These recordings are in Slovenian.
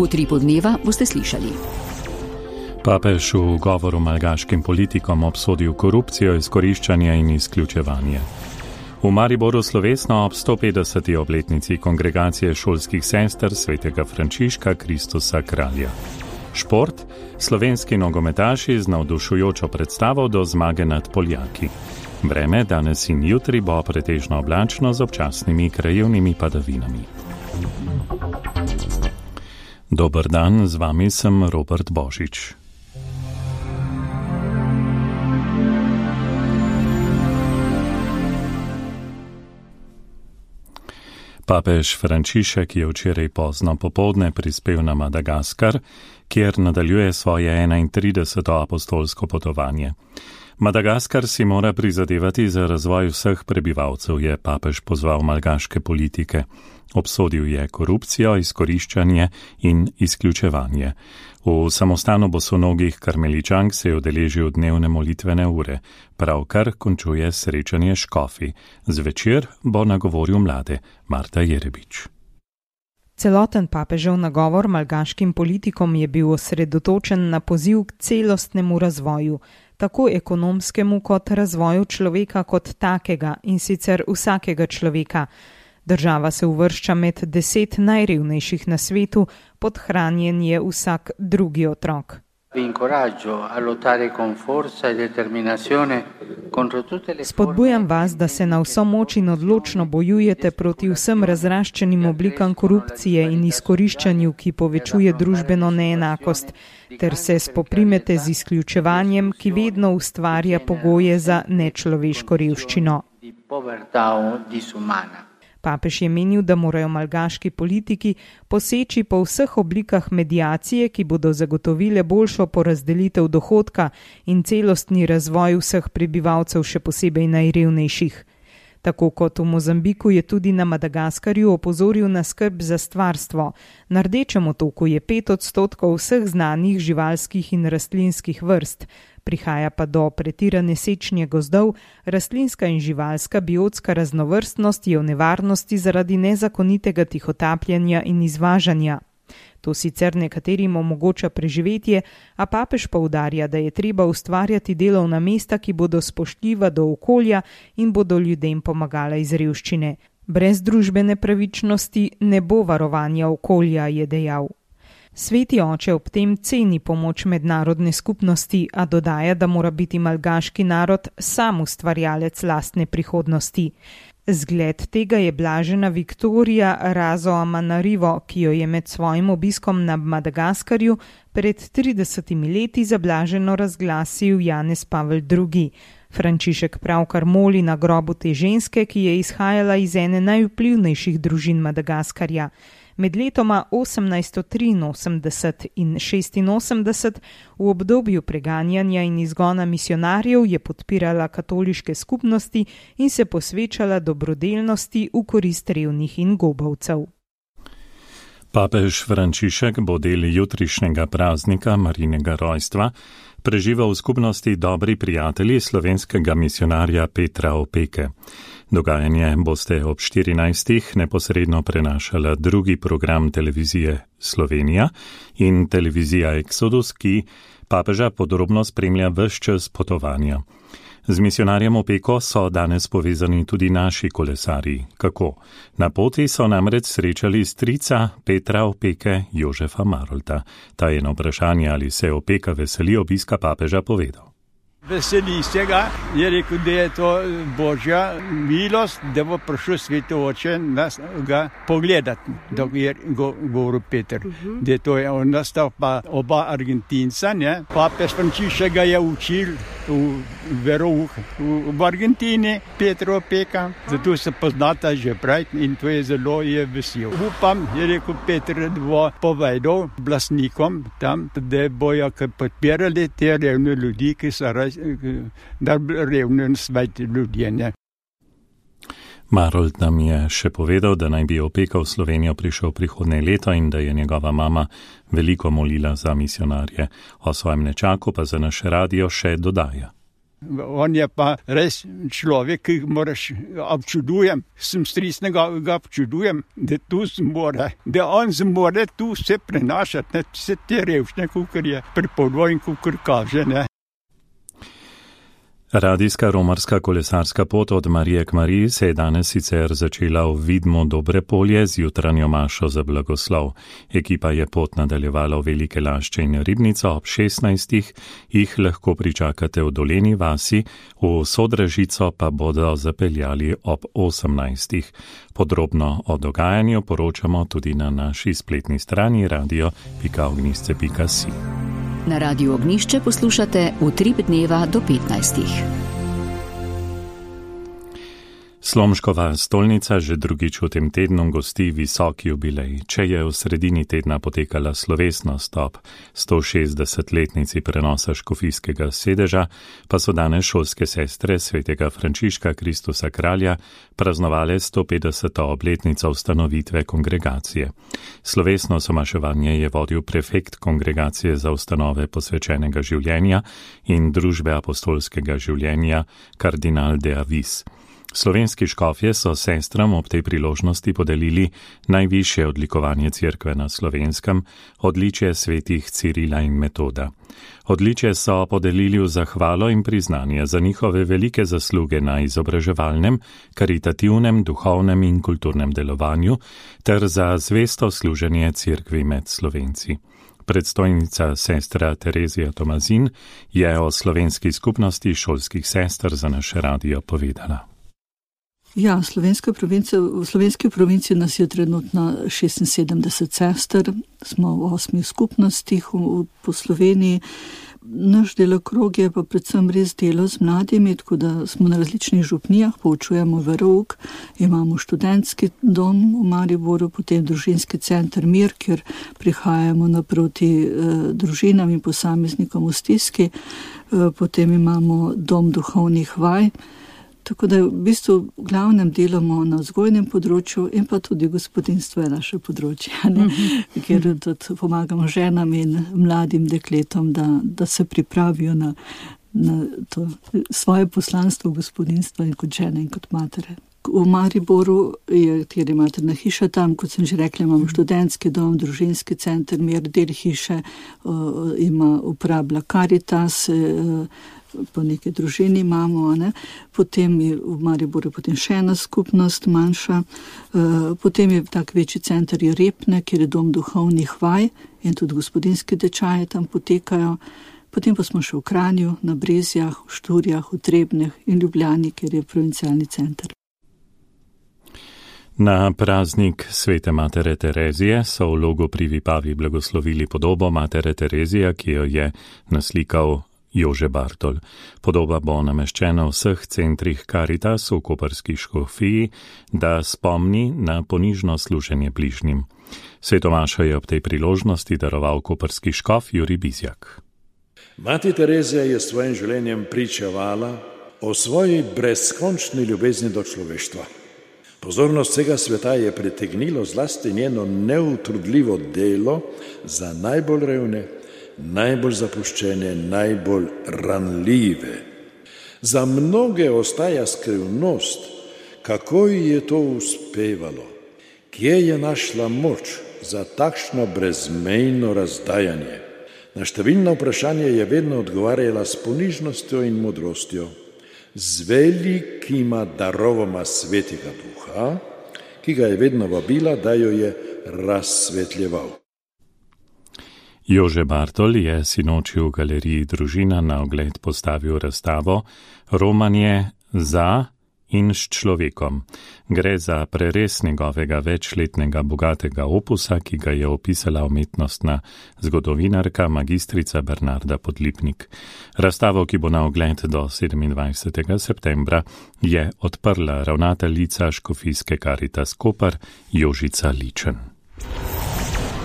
V Utripu dneva boste slišali. Papež v govoru malgaškim politikom obsodil korupcijo, izkoriščanje in izključevanje. V Mariboru slovesno ob 150. obletnici kongregacije šolskih sester svetega Frančiška Kristusa Kralja. Šport, slovenski nogometaši z navdušujočo predstavo do zmage nad Poljaki. Vreme danes in jutri bo pretežno oblačno z občasnimi krajevnimi padavinami. Dober dan, z vami sem Robert Božič. Papež Frančišek je včeraj pozno popoldne prispel na Madagaskar, kjer nadaljuje svoje 31. apostolsko potovanje. Madagaskar si mora prizadevati za razvoj vseh prebivalcev, je papež pozval malgaške politike. Obsodil je korupcijo, izkoriščanje in izključevanje. V samostanu bosonogih karmeličank se je udeležil dnevne molitvene ure, pravkar končuje srečanje škofi. Zvečer bo nagovoril mlade. Marta Jerebič. Celoten papežev nagovor malgaškim politikom je bil osredotočen na poziv k celostnemu razvoju, tako ekonomskemu kot razvoju človeka kot takega, in sicer vsakega človeka. Država se uvršča med 10 najrevnejših na svetu, podhranjen je vsak drugi otrok. Spodbujam vas, da se na vso moč in odločno bojujete proti vsem razraščenim oblikam korupcije in izkoriščanju, ki povečuje družbeno neenakost, ter se spoprimete z izključevanjem, ki vedno ustvarja pogoje za nečloveško revščino. Papež je menil, da morajo malgaški politiki poseči po vseh oblikah mediacije, ki bodo zagotovile boljšo porazdelitev dohodka in celostni razvoj vseh prebivalcev, še posebej najrevnejših. Tako kot v Mozambiku je tudi na Madagaskarju opozoril na skrb za stvarstvo. Na Rdečem otoku je 5% vseh znanih živalskih in rastlinskih vrst. Prihaja pa do pretirane sečnje gozdov, rastlinska in živalska biotska raznovrstnost je v nevarnosti zaradi nezakonitega tihotapljanja in izvažanja. To sicer nekaterim omogoča preživetje, a papež poudarja, da je treba ustvarjati delovna mesta, ki bodo spoštljiva do okolja in bodo ljudem pomagala iz revščine. Brez družbene pravičnosti ne bo varovanja okolja, je dejal. Sveti oče ob tem ceni pomoč mednarodne skupnosti, a dodaja, da mora biti malgaški narod sam ustvarjalec lastne prihodnosti. Zgled tega je blažena Viktorija Razoamanarivo, ki jo je med svojim obiskom na Madagaskarju pred 30 leti zablaženo razglasil Janez Pavel II. Frančišek pravkar moli na grobu te ženske, ki je izhajala iz ene najvplivnejših družin Madagaskarja. Med letoma 1883 in 86 v obdobju preganjanja in izgona misionarjev je podpirala katoliške skupnosti in se posvečala dobrodelnosti v korist revnih in gobavcev. Papež Frančišek bo del jutrišnjega praznika Marijinega rojstva preživel v skupnosti dobri prijatelji slovenskega misionarja Petra Opeke. Dogajanje boste ob 14. neposredno prenašala drugi program televizije Slovenija in televizija Exodus, ki papeža podrobno spremlja ves čas potovanja. Z misionarjem Opeko so danes povezani tudi naši kolesarji. Kako? Na poti so namreč srečali strica Petra Opeke, Jožefa Marolta. Ta je na vprašanje, ali se Opeka veseli obiska papeža, povedal. Veseli se ga, je rekel, da je to Božja milost, da bo prišel Sveti Oče nas ga pogledati, dok je govoril Peter. Da to je on nastal pa oba Argentinca, ne? Papež Frančišek ga je učil v verouk v Argentini, Petra Opeka, zato se poznata že prej in to je zelo vesel. Upam, je rekel Peter, da bo povedal oblastnikom tam, da bojo podpirali te revne ljudi, ki so da revne in sveti ljudje, ne. Marold nam je še povedal, da naj bi Opeka v Slovenijo prišel prihodnje leto in da je njegova mama veliko molila za misionarje. O svojem nečaku pa za naš radio še dodaja. On je pa res človek, ki moraš občudujem, sem strisnega ga občudujem, da tu zmore, da on zmore tu vse prenašati, ne, vse te revščine, kukor je pripovedal in kukor kaže, ne. Radijska romarska kolesarska pot od Marije k Mariji se je danes sicer začela v Vidmu Dobre Polje z jutranjo mašo za blagoslov. Ekipa je pot nadaljevala v Velike Lašče in Ribnico ob 16. Jih lahko pričakate v Doleni vasi, v Sodražico pa bodo zapeljali ob 18. Podrobno o dogajanju poročamo tudi na naši spletni strani radio.ognisce.si. Na Radiu Ognišče poslušate Utrip dneva do 15. Slomškova stolnica že drugič v tem tednu gosti visoki jubilej. Če je v sredini tedna potekala slovesnost ob 160-letnici prenosa škofijskega sedeža, pa so danes šolske sestre svetega Frančiška Kristusa Kralja praznovale 150. obletnico ustanovitve kongregacije. Slovesno somaševanje je vodil prefekt kongregacije za ustanove posvečenega življenja in družbe apostolskega življenja kardinal de Avis. Slovenski škofje so sestram ob tej priložnosti podelili najvišje odlikovanje Cerkve na Slovenskem, odličje svetih Cirila in Metoda. Odličje so podelili v zahvalo in priznanje za njihove velike zasluge na izobraževalnem, karitativnem, duhovnem in kulturnem delovanju ter za zvesto služenje Cerkvi med Slovenci. Predstojnica sestra Terezija Tomazin je o slovenski skupnosti šolskih sester za naš radio povedala. Ja, v slovenski provinciji nas je trenutno 76 sester, smo v 8 skupnostih po Sloveniji. Naš delokrog je pa predvsem res delo z mladimi, tako da smo na različnih župnijah, poučujemo verouk, imamo študentski dom v Mariboru, potem družinski center Mir, kjer prihajamo naproti družinam in posameznikom v stiski, potem imamo dom duhovnih vaj. Tako da v bistvu v glavnem delamo na vzgojnem področju in pa tudi gospodinstvo je naše področje, kjer tudi pomagamo ženam in mladim dekletom, da se pripravijo na to svoje poslanstvo gospodinstva in kot žene in kot matere. V Mariboru je tudi materna hiša tam, kot sem že rekla, imamo študentski dom, družinski center Mir, del hiše uporablja Caritas, po neki družini imamo, ne? Potem je v Mariboru potem še ena skupnost manjša, potem je tak večji center je Repne, kjer je dom duhovnih vaj in tudi gospodinski tečaji tam potekajo, potem pa smo še v Kranju, na Brezjah, v Šturjah, v Trebnjah in Ljubljani, kjer je provincialni center. Na praznik svete matere Terezije so v Logu pri Vipavi blagoslovili podobo matere Terezije, ki jo je naslikal Jože Bartol. Podoba bo nameščena v vseh centrih Caritas v koprski škofiji, da spomni na ponižno služenje bližnjim. Svetomašo je ob tej priložnosti daroval koprski škof Jurij Bizjak. Mati Terezija je s svojim življenjem pričevala o svoji brezkončni ljubezni do človeštva. Pozornost vsega sveta je pritegnilo zlasti njeno neutrudljivo delo za najbolj revne, najbolj zapuščene, najbolj ranljive. Za mnoge ostaja skrivnost, kako ji je to uspevalo, kje je našla moč za takšno brezmejno razdajanje. Na številna vprašanja je vedno odgovarjala s ponižnostjo in modrostjo, z velikima darovoma svetega duha, ki ga je vedno vabila, da jo je razsvetljeval. Jože Bartol je sinoči v galeriji Družina na ogled postavil razstavo Romanje za in s človekom. Gre za prerez njegovega večletnega bogatega opusa, ki ga je opisala umetnostna zgodovinarka magistrica Bernarda Podlipnik. Razstavo, ki bo na ogled do 27. septembra, je odprla ravnateljica škofijske Caritas Koper Jožica Ličen.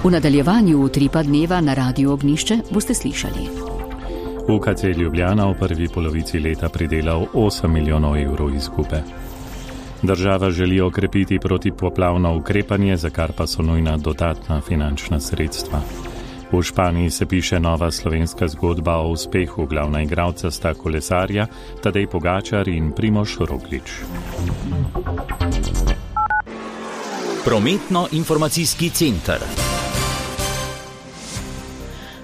V nadaljevanju Utripa dneva na Radiu Ognišče boste slišali. UKC Ljubljana v prvi polovici leta pridelal 8 milijonov evrov izgube. Država želi okrepiti protipoplavno ukrepanje, za kar pa so nujna dodatna finančna sredstva. V Španiji se piše nova slovenska zgodba o uspehu. Glavna igralca sta kolesarja Tadej Pogačar in Primož Roglič. Prometno-informacijski center.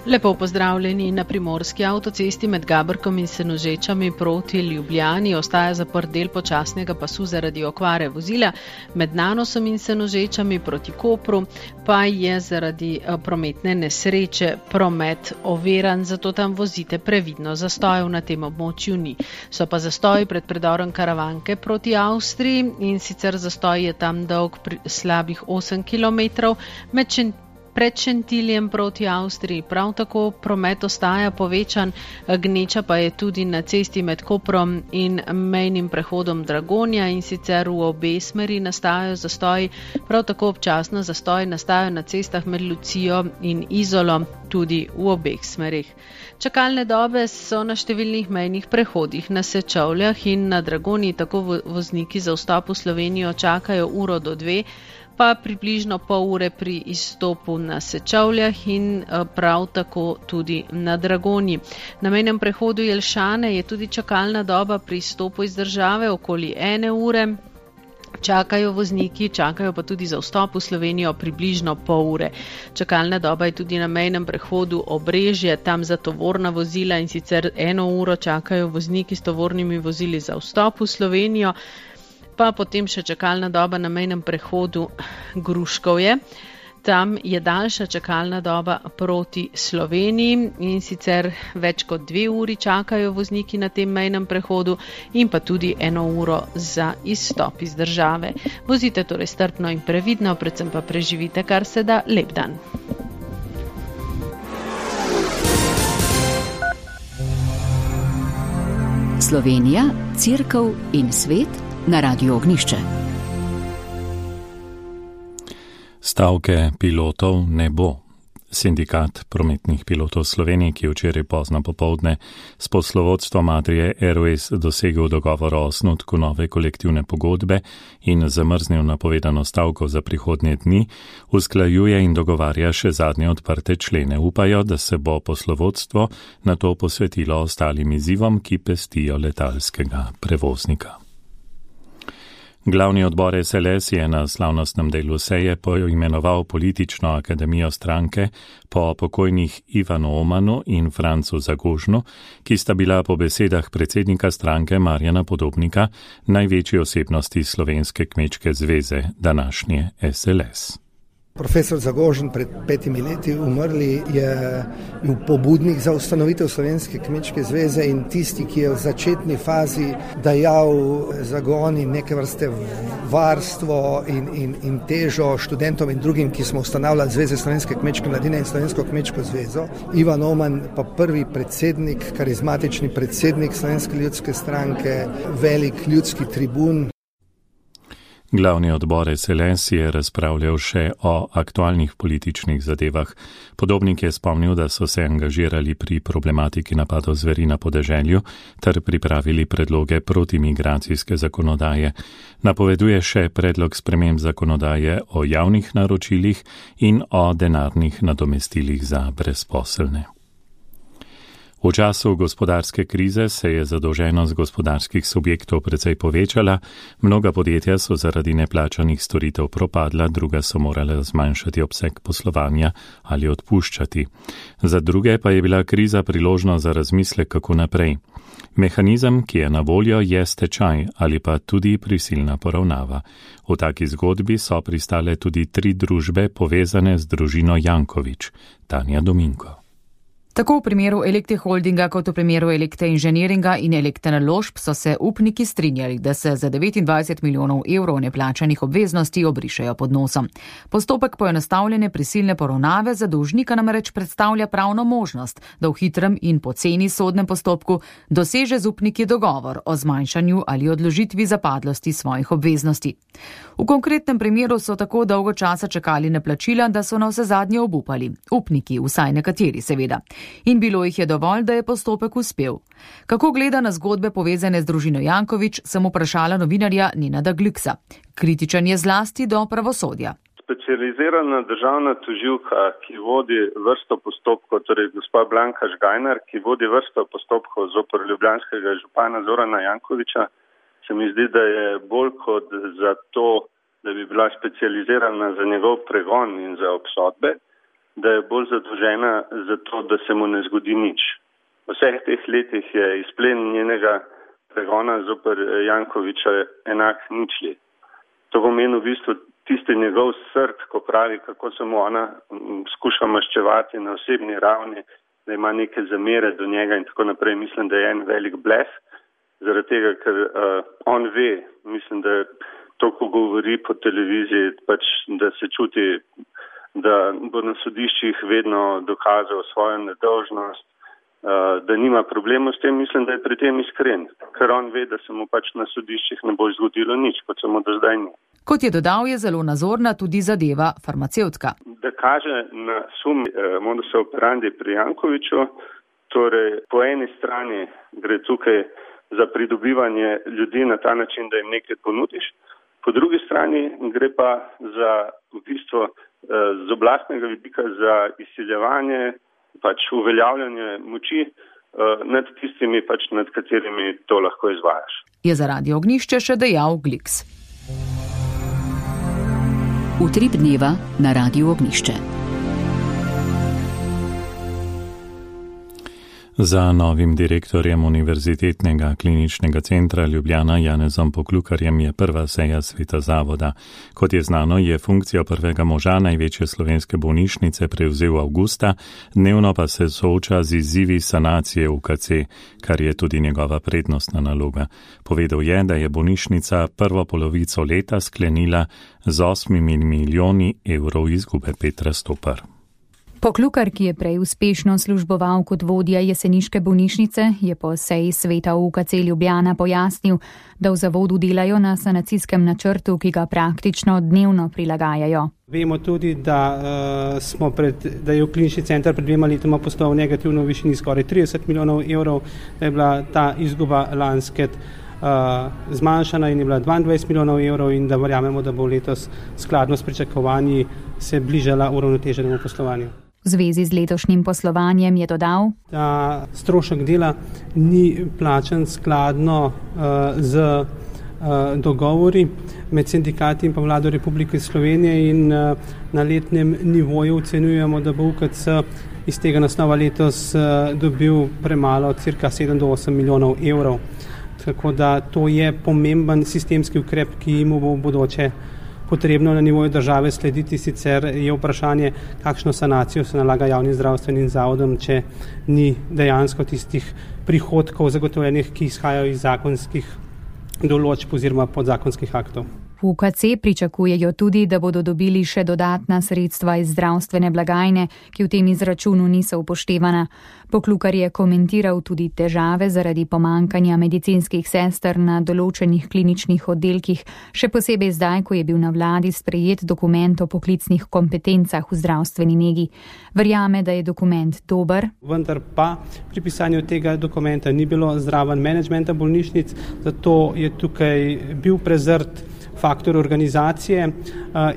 Lepo pozdravljeni. Na primorski avtocesti med Gaberkom in Senožečami proti Ljubljani ostaja zaprt del počasnega pasu zaradi okvare vozila. Med Nanosom in Senožečami proti Kopru pa je zaradi prometne nesreče promet oviran, zato tam vozite previdno. Zastojev na tem območju ni. So pa zastoji pred predorom Karavanke proti Avstriji in sicer zastoj je tam dolg slabih 8 km. Pred Šentiljem proti Avstriji prav tako promet ostaja povečan, gneča pa je tudi na cesti med Koprom in mejnim prehodom Dragonja in sicer v obe smeri nastajajo zastoji, prav tako občasno zastoji nastajajo na cestah med Lucijo in Izolo, tudi v obeh smerih. Čakalne dobe so na številnih mejnih prehodih na Sečovljah in na Dragonji, tako vozniki za vstop v Slovenijo čakajo 1 do 2, pa približno pol ure pri izstopu na Sečovljah in prav tako tudi na Dragonji. Na mejnem prehodu Jelšane je tudi čakalna doba pri izstopu iz države okoli 1 ure. Čakajo vozniki, čakajo pa tudi za vstop v Slovenijo približno pol ure. Čakalna doba je tudi na mejnem prehodu Obrežje, tam za tovorna vozila in sicer 1 uro čakajo vozniki s tovornimi vozili za vstop v Slovenijo. Pa potem še čakalna doba na mejnem prehodu Gruškovje. Tam je daljša čakalna doba proti Sloveniji in sicer več kot 2 uri čakajo vozniki na tem mejnem prehodu in pa tudi 1 uro za izstop iz države. Vozite torej strpno in previdno, predvsem pa preživite kar se da lep dan. Slovenija, Cerkev in svet na Radiu Ognišče. Stavke pilotov ne bo. Sindikat prometnih pilotov Slovenije, ki je včeraj pozno popoldne s poslovodstvom Adrie Airways dosegel dogovor o osnutku nove kolektivne pogodbe in zamrznil napovedano stavko za prihodnje dni, usklajuje in dogovarja še zadnje odprte člene. Upajo, da se bo poslovodstvo na to posvetilo ostalim izzivom, ki pestijo letalskega prevoznika. Glavni odbor SLS je na slavnostnem delu seje poimenoval politično akademijo stranke po pokojnih Ivanu Omanu in Francu Zagožnu, ki sta bila po besedah predsednika stranke Marjana Podobnika največji osebnosti Slovenske kmečke zveze, današnje SLS. Profesor Zagožen pred 5 leti umrli je bil pobudnik za ustanovitev Slovenske kmečke zveze in tisti, ki je v začetni fazi dajal zagon in neke vrste varstvo in težo študentom in drugim, ki smo ustanavljali Zveze Slovenske kmečke mladine in Slovensko kmečko zvezo. Ivan Oman pa prvi predsednik, karizmatični predsednik Slovenske ljudske stranke, velik ljudski tribun. Glavni odbor SLS je razpravljal še o aktualnih političnih zadevah. Podobnik je spomnil, da so se angažirali pri problematiki napadov zveri na podeželju ter pripravili predloge protimigracijske zakonodaje. Napoveduje še predlog sprememb zakonodaje o javnih naročilih in o denarnih nadomestilih za brezposelne. V času gospodarske krize se je zadolženost gospodarskih subjektov precej povečala, mnoga podjetja so zaradi neplačanih storitev propadla, druga so morala zmanjšati obseg poslovanja ali odpuščati. Za druge pa je bila kriza priložnost za razmislek, kako naprej. Mehanizem, ki je na voljo, je stečaj ali pa tudi prisilna poravnava. V taki zgodbi so pristale tudi 3 družbe povezane z družino Janković, Tanja Dominko. Tako v primeru Elekte Holdinga kot v primeru Elekte Inženiringa in Elekte Naložb so se upniki strinjali, da se za 29 milijonov evrov neplačanih obveznosti obrišejo pod nosom. Postopek poenostavljene prisilne poravnave za dolžnika namreč predstavlja pravno možnost, da v hitrem in poceni sodnem postopku doseže z upniki dogovor o zmanjšanju ali odložitvi zapadlosti svojih obveznosti. V konkretnem primeru so tako dolgo časa čakali na plačila, da so na vse zadnje obupali. Upniki, vsaj nekateri seveda. In bilo jih je dovolj, da je postopek uspel. Kako gleda na zgodbe povezane z družino Janković, sem vprašala novinarja Nenada Gliksa. Kritičen je zlasti do pravosodja. specializirana državna tožilka, ki vodi vrsto postopkov, torej gospa Blanka Žgajnar, ki vodi vrsto postopkov zoper ljubljanskega župana Zorana Jankovića, se mi zdi, da je bolj kot za to, da bi bila specializirana za njegov pregon in za obsodbe, da je bolj zadolžena za to, da se mu ne zgodi nič. V vseh teh letih je izplen njenega pregona zoper Jankovića enak ničli. To pomeni v bistvu tisti njegov srd, ko pravi, kako se mu ona skuša maščevati na osebni ravni, da ima neke zamere do njega in tako naprej. Mislim, da je en velik blef, zaradi tega, ker on ve, mislim, da to, ko govori po televiziji, pač, da se čuti, da bo na sodiščih vedno dokazal svojo nedolžnost, da nima problemov s tem, mislim, da je pri tem iskren, ker on ve, da se mu pač na sodiščih ne bo zgodilo nič, kot se mu do zdaj ni. Kot je dodal, je zelo nazorna tudi zadeva farmacevtka. Da kaže na sum modus operandi pri Jankoviću, torej po eni strani gre tukaj za pridobivanje ljudi na ta način, da jim nekaj ponudiš, po drugi strani gre pa za v bistvu z oblastnega vidika za izsiljevanje, pač uveljavljanje moči nad tistimi, pač nad katerimi to lahko izvajaš. Je za Radio Ognjišče še dejal Gliks. Utrip dneva na Radiu Ognjišče. Za novim direktorjem Univerzitetnega kliničnega centra Ljubljana Janezom Poklukarjem je prva seja sveta zavoda. Kot je znano, je funkcijo prvega moža največje slovenske bolnišnice prevzel avgusta, dnevno pa se sooča z izzivi sanacije UKC, kar je tudi njegova prednostna naloga. Povedal je, da je bolnišnica prvo polovico leta sklenila z 8 milijoni evrov izgube. Petra Stopar. Poklukar, ki je prej uspešno služboval kot vodja jeseniške bolnišnice, je po seji sveta UKC Ljubljana pojasnil, da v zavodu delajo na sanacijskem načrtu, ki ga praktično dnevno prilagajajo. Vemo tudi, da je v klinični center pred 2 letoma postal negativno v višini skoraj 30 milijonov evrov, da je bila ta izguba lansket zmanjšana in je bila 22 milijonov evrov in da verjamemo, da bo letos skladno s pričakovanji se bližala uravnoteženemu poslovanju. V zvezi z letošnjim poslovanjem je dodal, da strošek dela ni plačan skladno z dogovori med sindikati in pa vlado Republike Slovenije in na letnem nivoju ocenjujemo, da bo UKC iz tega naslova letos dobil premalo, cirka 7 do 8 milijonov evrov. Tako da to je pomemben sistemski ukrep, ki mu bo v bodoče potrebno na nivoju države slediti, sicer je vprašanje, kakšno sanacijo se nalaga javnim zdravstvenim zavodom, če ni dejansko tistih prihodkov zagotovljenih, ki izhajajo iz zakonskih določb oziroma podzakonskih aktov. V UKC pričakujejo tudi, da bodo dobili še dodatna sredstva iz zdravstvene blagajne, ki v tem izračunu niso upoštevana. Poklukar je komentiral tudi težave zaradi pomankanja medicinskih sester na določenih kliničnih oddelkih, še posebej zdaj, ko je bil na vladi sprejet dokument o poklicnih kompetencah v zdravstveni negi. Verjame, da je dokument dober. Vendar pa pri pisanju tega dokumenta ni bilo zraven menedžmenta bolnišnic, zato je tukaj bil prezrt faktor organizacije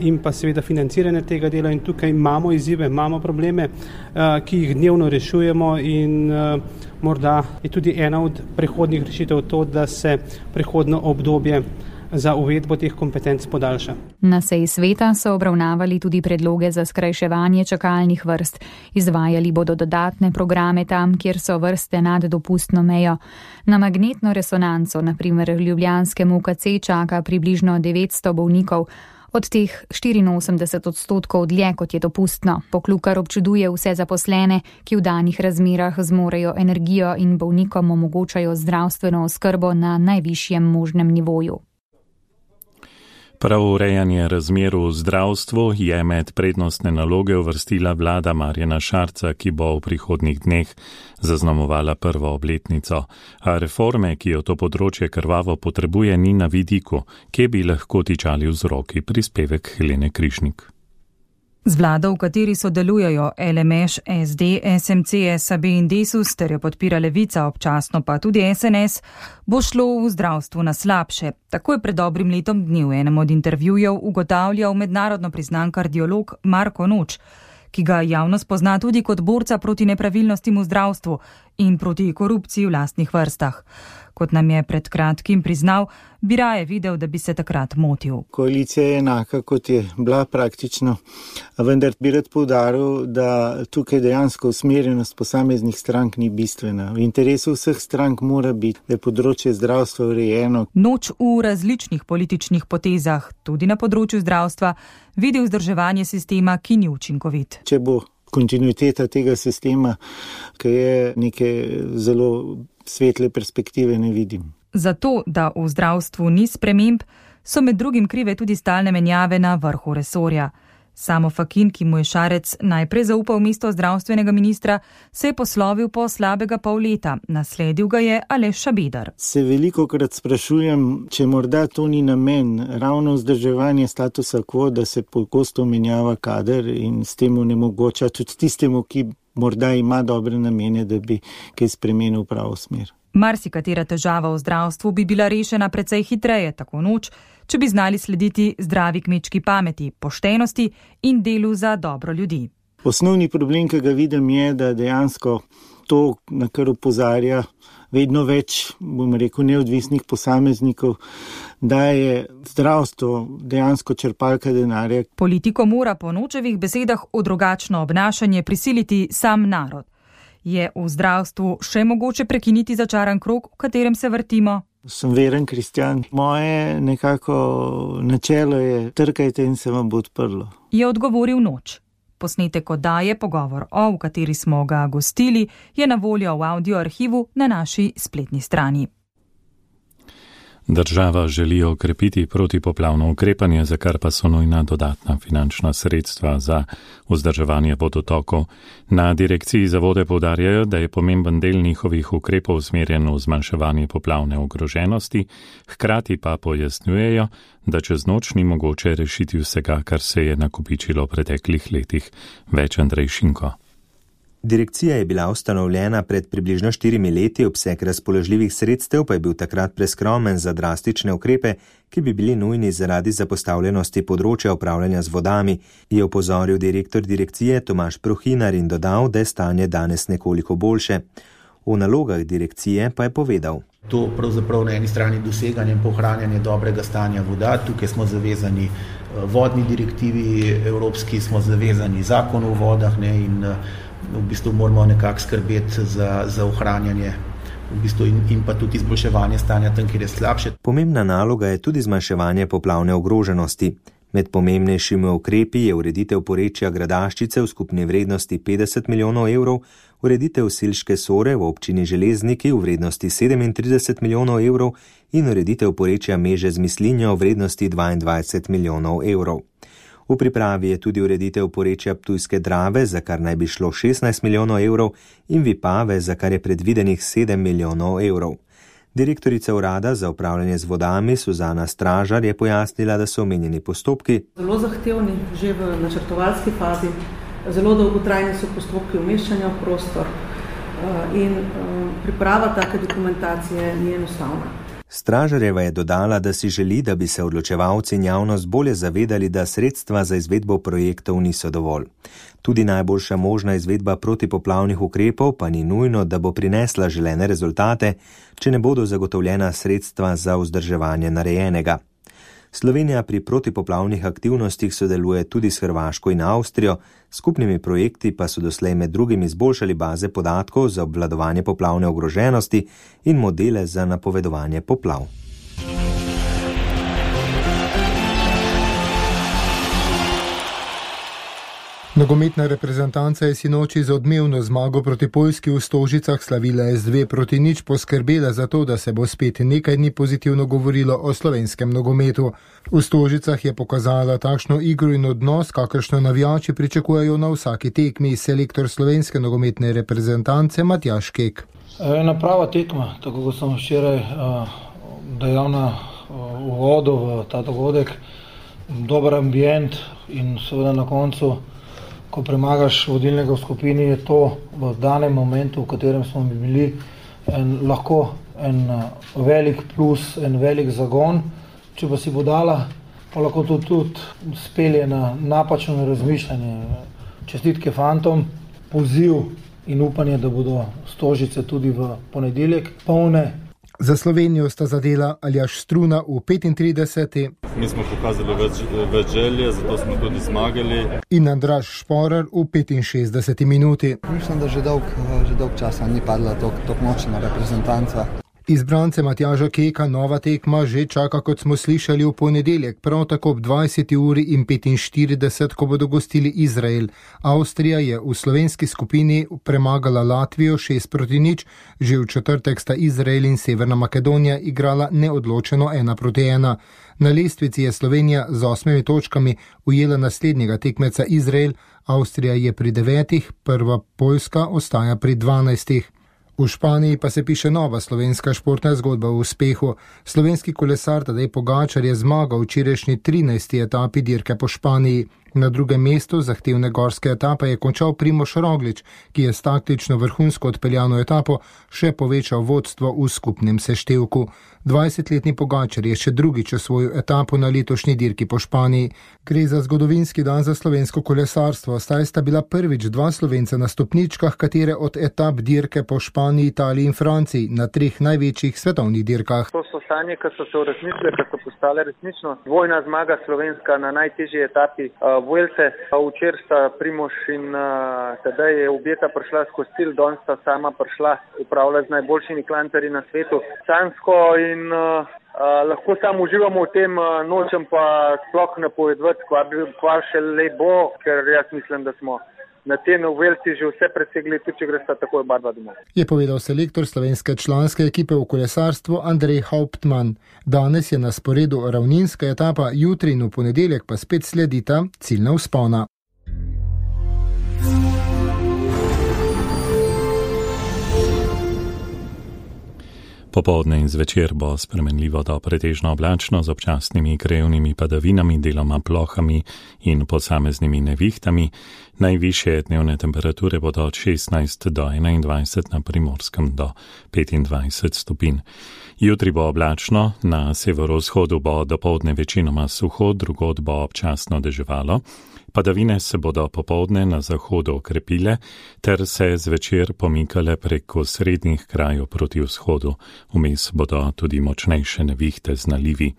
in pa seveda financiranje tega dela in tukaj imamo izzive, imamo probleme, ki jih dnevno rešujemo in morda je tudi ena od prehodnih rešitev to, da se prehodno obdobje za uvedbo teh kompetenc podaljša. Na seji sveta so obravnavali tudi predloge za skrajševanje čakalnih vrst. Izvajali bodo dodatne programe tam, kjer so vrste nad dopustno mejo. Na magnetno resonanco, na primer v ljubljanskem UKC, čaka približno 900 bolnikov, od teh 84% dlje, kot je dopustno. Poklukar občuduje vse zaposlene, ki v danih razmerah zmorejo energijo in bolnikom omogočajo zdravstveno oskrbo na najvišjem možnem nivoju. Prav urejanje razmer v zdravstvu je med prednostne naloge uvrstila vlada Marjana Šarca, ki bo v prihodnjih dneh zaznamovala prvo obletnico. A reforme, ki jo to področje krvavo potrebuje, ni na vidiku, kje bi lahko tičali vzroki. Prispevek Helene Križnik. Z vlado, v kateri sodelujejo LMŠ, SD, SMC, SAB in Desus, ter jo podpira Levica, občasno pa tudi SNS, bo šlo v zdravstvu na slabše. Tako je pred dobrim letom dni v enem od intervjujev ugotavljal mednarodno priznan kardiolog Marko Noč, ki ga javnost pozna tudi kot borca proti nepravilnostim v zdravstvu in proti korupciji v lastnih vrstah. Kot nam je pred kratkim priznal, bi raje videl, da bi se takrat motil. Koalicija je enaka, kot je bila praktično, vendar bi rad poudaril, da tukaj dejansko usmerjenost posameznih strank ni bistvena. V interesu vseh strank mora biti, da je področje zdravstva urejeno. Noč v različnih političnih potezah, tudi na področju zdravstva, vidi vzdrževanje sistema, ki ni učinkovit. Če bo kontinuiteta tega sistema, ki je neke zelo svetle perspektive, ne vidim. Zato, da v zdravstvu ni sprememb, so med drugim krive tudi stalne menjave na vrhu resorja. Samo Fakin, ki mu je Šarec najprej zaupal mesto zdravstvenega ministra, se je poslovil po slabega pol leta. Nasledil ga je Aleš Šabeder. Se velikokrat sprašujem, če morda to ni namen, ravno vzdrževanje statusa quo, da se pogosto menjava kader in s tem onemogoča tudi tistemu, ki morda ima dobre namene, da bi kaj spremenil v pravo smer. Marsikatera težava v zdravstvu bi bila rešena precej hitreje, tako Noč, če bi znali slediti zdravi kmečki pameti, poštenosti in delu za dobro ljudi. Osnovni problem, ki ga vidim, je, da dejansko to, na kar opozarja vedno več, bom rekel, neodvisnih posameznikov, da je zdravstvo dejansko črpalka denarja. Politiko mora po Nočevih besedah v drugačno obnašanje prisiliti sam narod. Je v zdravstvu še mogoče prekiniti začaran krog, v katerem se vrtimo? Sem veren kristjan. Moje nekako načelo je trkajte in se vam bo odprlo. Je odgovoril Noč. Posnetek oddaje Pogovor o, v kateri smo ga gostili, je na voljo v audio arhivu na naši spletni strani. Država želi okrepiti protipoplavno ukrepanje, za kar pa so nujna dodatna finančna sredstva za vzdrževanje vodotokov. Na direkciji za vode poudarjajo, da je pomemben del njihovih ukrepov usmerjen v zmanjševanje poplavne ogroženosti, hkrati pa pojasnjujejo, da čez noč ni mogoče rešiti vsega, kar se je nakopičilo v preteklih letih. Več Andrej Šinko. Direkcija je bila ustanovljena pred približno 4 leti, obseg razpoložljivih sredstev pa je bil takrat preskromen za drastične ukrepe, ki bi bili nujni zaradi zapostavljenosti področja upravljanja z vodami, je opozoril direktor direkcije Tomaž Prohinar in dodal, da je stanje danes nekoliko boljše. O nalogah direkcije pa je povedal. To pravzaprav na eni strani doseganje in ohranjanje dobrega stanja voda, tukaj smo zavezani vodni direktivi evropski, smo zavezani zakonu o vodah in v bistvu moramo nekako skrbeti za ohranjanje in pa tudi izboljševanje stanja tam, kjer je slabše. Pomembna naloga je tudi zmanjševanje poplavne ogroženosti. Med pomembnejšimi ukrepi je ureditev porečja Gradaščice v skupni vrednosti 50 milijonov evrov, ureditev Silške Sore v občini Železniki v vrednosti 37 milijonov evrov in ureditev porečja Meže z Mislinjo v vrednosti 22 milijonov evrov. V pripravi je tudi ureditev porečja Ptujske Drave, za kar naj bi šlo 16 milijonov evrov, in Vipave, za kar je predvidenih 7 milijonov evrov. Direktorica urada za upravljanje z vodami Suzana Stražar je pojasnila, da so omenjeni postopki zelo zahtevni, že v načrtovalski fazi, zelo dolgotrajni so postopki umeščanja v prostor in priprava take dokumentacije ni enostavna. Stražarjeva je dodala, da si želi, da bi se odločevalci in javnost bolje zavedali, da sredstva za izvedbo projektov niso dovolj. Tudi najboljša možna izvedba protipoplavnih ukrepov pa ni nujno, da bo prinesla želene rezultate, če ne bodo zagotovljena sredstva za vzdrževanje narejenega. Slovenija pri protipoplavnih aktivnostih sodeluje tudi s Hrvaško in Avstrijo, skupnimi projekti pa so doslej med drugim izboljšali baze podatkov za obvladovanje poplavne ogroženosti in modele za napovedovanje poplav. Nogometna reprezentanca je sinoči z odmevno zmago proti Poljski v Stožicah slavila z 2-0 poskrbela za to, da se bo spet nekaj dni pozitivno govorilo o slovenskem nogometu. V Stožicah je pokazala takšno igro in odnos, kakršno navijači pričakujejo na vsaki tekmi, selektor slovenske nogometne reprezentance Matjaž Kek. Ena prava tekma, tako kot sem včeraj dejal na uvodu v ta dogodek, dober ambient in seveda na koncu, ko premagaš vodilnega v skupini, je to v danem momentu, v katerem smo bili, lahko en velik plus, en velik zagon. Če pa si bo dala, pa lahko to tudi spelje na napačno razmišljanje. Čestitke fantom, poziv in upanje, da bodo Stožice tudi v ponedeljek polne. Za Slovenijo sta zadela Aljaž Struna v 35. Mi smo pokazali več želje, zato smo tudi zmagali. In Andraž Šporar v 65. minuti. Mislim, da že dolg časa ni padla tako močna reprezentanca. Izbrance Matjaža Keka nova tekma že čaka, kot smo slišali, v ponedeljek, prav tako ob 20:45, ko bodo gostili Izrael. Avstrija je v slovenski skupini premagala Latvijo 6-0, že v četrtek sta Izrael in Severna Makedonija igrala neodločeno 1-1. Na lestvici je Slovenija z 8 točkami ujela naslednjega tekmeca Izrael, Avstrija je pri 9, prva Poljska ostaja pri 12. V Španiji pa se piše nova slovenska športna zgodba o uspehu. Slovenski kolesar Tadej Pogačar je zmagal v včerajšnji 13. etapi dirke po Španiji. Na drugem mestu zahtevne gorske etape je končal Primož Roglič, ki je s taktično vrhunsko odpeljano etapo še povečal vodstvo v skupnem seštevku. 20-letni Pogačar je še drugič osvojil etapo na letošnji dirki po Španiji. Gre za zgodovinski dan za slovensko kolesarstvo, saj sta bila prvič dva Slovenca na stopničkah katere od etap dirke po Španiji, Italiji in Franciji na 3 največjih svetovnih dirkah. To so sanje, ki so se uresničile, ki so postale resnično. Dvojna zmaga slovenska na najtežji etapi Vuelte. Včeraj sta Primož in Tadej je objeta prišla skozi cilj, danes sta sama prišla upravljati z najboljšimi klantarji na svetu. Sanjsko in lahko samo uživamo v tem, nočem pa sploh napovedovati, kva še le bo, ker jaz mislim, da smo na tem Vuelti že vse presegli, tudi če gresta takoj oba domov. Je povedal selektor slovenske članske ekipe v kolesarstvu Andrej Hauptmann. Danes je na sporedu ravninska etapa, jutri in v ponedeljek pa spet sledita ciljna vzpona. Popoldne in zvečer bo spremenljivo do pretežno oblačno z občasnimi krajevnimi padavinami, deloma plohami in posameznimi nevihtami. Najvišje dnevne temperature bodo od 16 do 21, na Primorskem do 25 stopinj. Jutri bo oblačno, na severovzhodu bo dopoldne večinoma suho, drugod bo občasno deževalo. Padavine se bodo popoldne na zahodu okrepile ter se zvečer pomikale preko srednjih krajev proti vzhodu. Vmes bodo tudi močnejše nevihte z nalivi.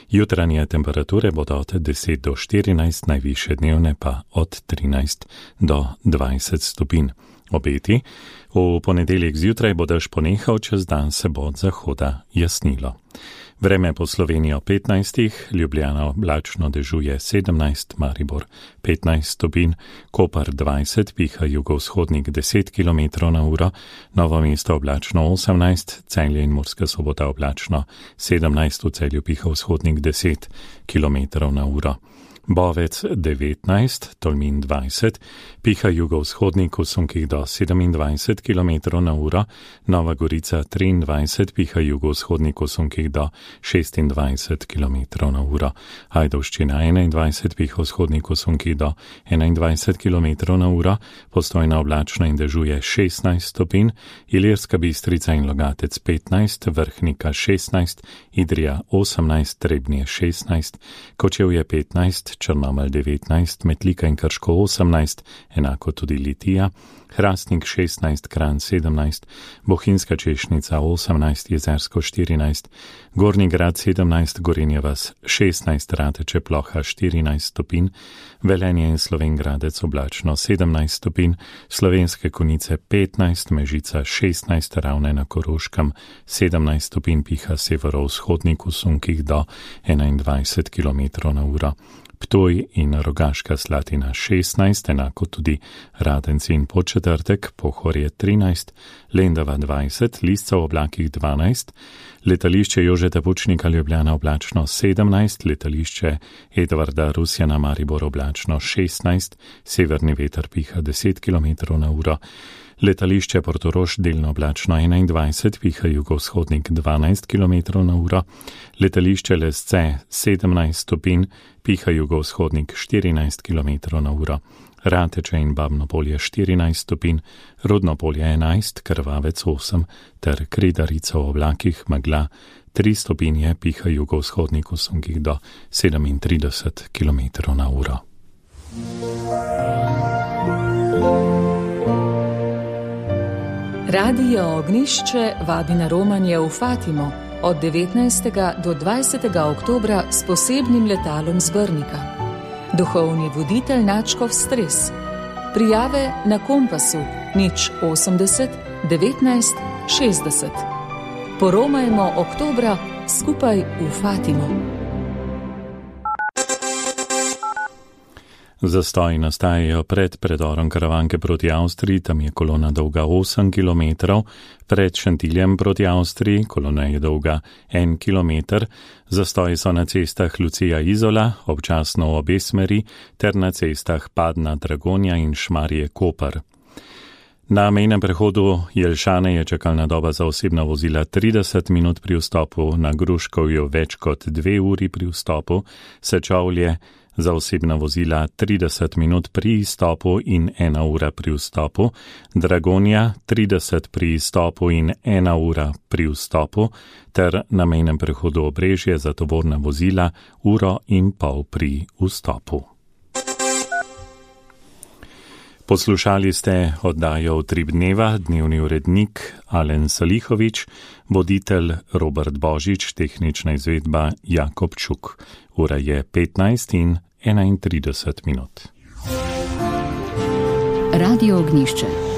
Jutranje temperature bodo od 10 do 14, najvišje dnevne pa od 13 do 20 stopinj. Obeti. V ponedeljek zjutraj bo dež ponehal, čez dan se bo od zahoda jasnilo. Vreme po Slovenijo 15, Ljubljana oblačno dežuje 17, Maribor 15 stopinj, Koper 20, piha jugovzhodnik 10 km/h, Novo mesto oblačno 18, Celje in Murska Sobota oblačno 17, v Celju piha vzhodnik 10 km/h. Bovec 19, Tolmin 20, piha jugovzhodnik v sunkih do 27 km/h, Nova Gorica 23, piha jugovzhodnik v sunkih do 26 km/h, Ajdovščina 21, piha vzhodnik v sunkih do 21 km/h, Postojna oblačna in dežuje 16 stopinj, Ilirska Bistrica in Logatec 15, Vrhnika 16, Idrija 18, Trebnje 16, Kočevje 15, Črnomelj 19, Metlika in Krško 18, enako tudi Litija, Hrastnik 16, Kranj 17, Bohinjska Češnica 18, Jezersko 14, Gornji Grad 17, Gorenje vas 16, Rateče Ploha 14 stopinj, Velenje in Slovenj Gradec oblačno 17 stopinj, Slovenske Konjice 15, Mežica 16, Ravne na Koroškem 17 stopinj, piha severovzhodnik v sunkih do 21 km/h. Ptuj in Rogaška Slatina 16, enako tudi Radenci in Podčetrtek, Pohorje 13, Lendava 20, Lisca v oblakih 12, letališče Jožeta Pučnika Ljubljana oblačno 17, letališče Edvarda Rusjana Maribor oblačno 16, severni veter piha 10 km/h, Letališče Portorož delno oblačno 21, piha jugovzhodnik 12 km/h, letališče Lesce 17 stopinj, piha jugovzhodnik 14 km/h, Rateče in Babno polje 14 stopinj, Rodno polje 11, Krvavec 8 ter Kredarica v oblakih megla 3 stopinje, piha jugovzhodnik v sunkih do 37 km/h. Radio Ognišče vabi na romanje v Fatimo od 19. do 20. oktobra s posebnim letalom z Brnika. Duhovni voditelj Načkov Stres. Prijave na Kompasu 080 19 60. Poromajmo oktobra skupaj v Fatimo. Zastoji nastajajo pred predorom Karavanke proti Avstriji, tam je kolona dolga 8 km, pred Šentiljem proti Avstriji, kolona je dolga 1 km, zastoji so na cestah Lucija Izola, občasno v obe smeri, ter na cestah Padna Dragonja in Šmarje Koper. Na mejnem prehodu Jelšane je čakalna doba za osebna vozila 30 minut pri vstopu, na Gruškovju več kot 2 uri pri vstopu, Sečovlje za osebna vozila 30 minut pri izstopu in 1 ura pri vstopu, Dragonja 30 pri izstopu in 1 ura pri vstopu, ter na mejnem prehodu Obrežje za tovorna vozila 1,5 ure pri vstopu. Poslušali ste oddajo Utrip dneva, dnevni urednik Alen Salihovič, voditelj Robert Božič, tehnična izvedba Jakob Čuk. Ura je 15:31. Radio Ognišče.